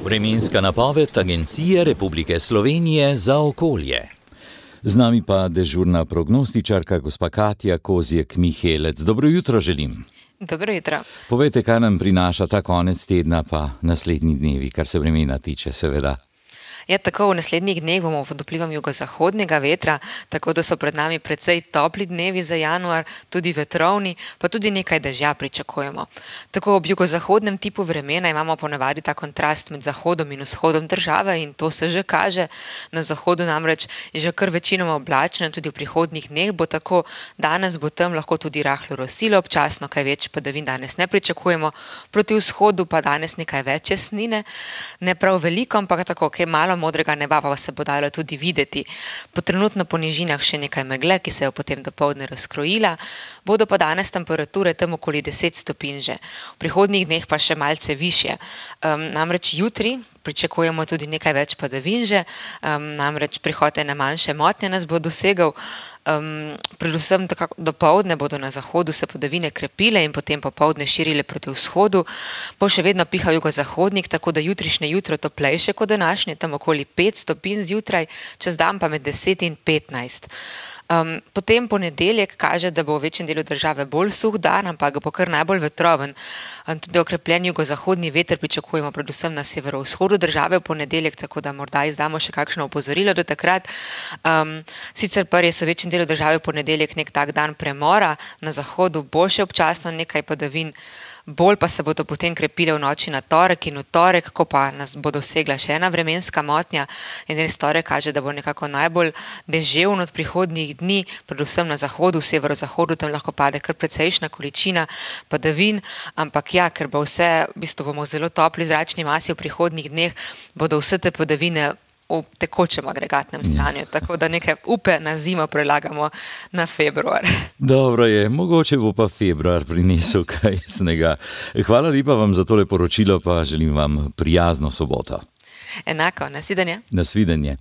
Vremenska napoved Agencije Republike Slovenije za okolje. Z nami pa dežurna prognostičarka gospa Katja Kozjek-Mihelec. Dobro jutro želim. Dobro jutro. Povejte, kaj nam prinaša ta konec tedna pa naslednji dnevi, kar se vremena tiče, seveda. Ja, tako v naslednjih dneh bomo pod vplivom jugozahodnega vetra, tako da so pred nami precej topli dnevi za januar, tudi vetrovni, pa tudi nekaj dežja pričakujemo. Tako ob jugozahodnem tipu vremena imamo ponavadi ta kontrast med zahodom in vzhodom države in to se že kaže. Na zahodu namreč je že kar večinoma oblačno, tudi v prihodnjih dneh bo tako. Danes bo tam lahko tudi rahlo rosilo, občasno kaj več padavin danes ne pričakujemo. Proti vzhodu pa danes nekaj več jasnine, ne prav veliko, ampak tako, kaj malo modrega neba pa se bo dalo tudi videti. Po trenutno po nižinah še nekaj megle, ki se je potem dopoldne razkrojila, bodo pa danes temperature tam okoli 10 stopinj že. V prihodnjih dneh pa še malce višje. Namreč jutri pričakujemo tudi nekaj več padavin že, namreč prihod ene manjše motnje nas bo dosegel. Predvsem dopoldne bodo na zahodu se padavine krepile in potem popoldne širile proti vzhodu. Bo še vedno pihal jugozahodnik, tako da jutrišnje jutro toplejše kot današnje, tam okoli 5 stopinj zjutraj, čez dan pa med 10 in 15. Potem ponedeljek kaže, da bo v večjem delu države bolj suh dan, ampak bo kar najbolj vetroven. Tudi okrepljen jugozahodni veter pričakujemo predvsem na severovzhodu države v ponedeljek, tako da morda izdamo še kakšno opozorilo do takrat. Sicer pa res v večjem delu države v ponedeljek nek tak dan premora, na zahodu bo še občasno nekaj padavin, bolj pa se bodo potem krepile v noči na torek in v torek, ko pa nas bo dosegla še ena vremenska motnja. In res torek kaže, da bo nekako najbolj deževno od prihodnjih dni, predvsem na zahodu, v severozahodu, tam lahko pade kar precejšnja količina padavin, ampak ja, ker bo vse, v bistvu bomo zelo topli zračni masi v prihodnjih dneh, bodo vse te padavine v tekočem agregatnem stanju, tako da neke upe na zimo prelagamo na februar. Dobro je, mogoče bo pa februar prinesel kaj snega. Hvala lepa vam za tole poročilo, pa želim vam prijazno soboto. Enako, nasvidenje. Nasvidenje.